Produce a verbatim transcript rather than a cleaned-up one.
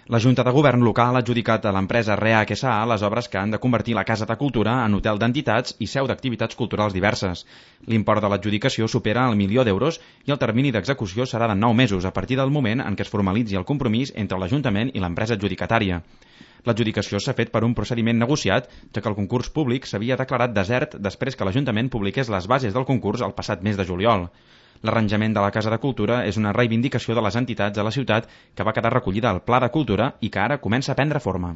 La Junta de Govern local ha adjudicat a l'empresa REAC S A les obres que han de convertir la Casa de Cultura en hotel d'entitats i seu d'activitats culturals diverses. L'import de l'adjudicació supera el milió d'euros i el termini d'execució serà de nou mesos a partir del moment en què es formalitzi el compromís entre l'Ajuntament i l'empresa adjudicatària. L'adjudicació s'ha fet per un procediment negociat, ja que el concurs públic s'havia declarat desert després que l'Ajuntament publiqués les bases del concurs el passat mes de juliol. L'arranjament de la Casa de Cultura és una reivindicació de les entitats de la ciutat que va quedar recollida al Pla de Cultura i que ara comença a prendre forma.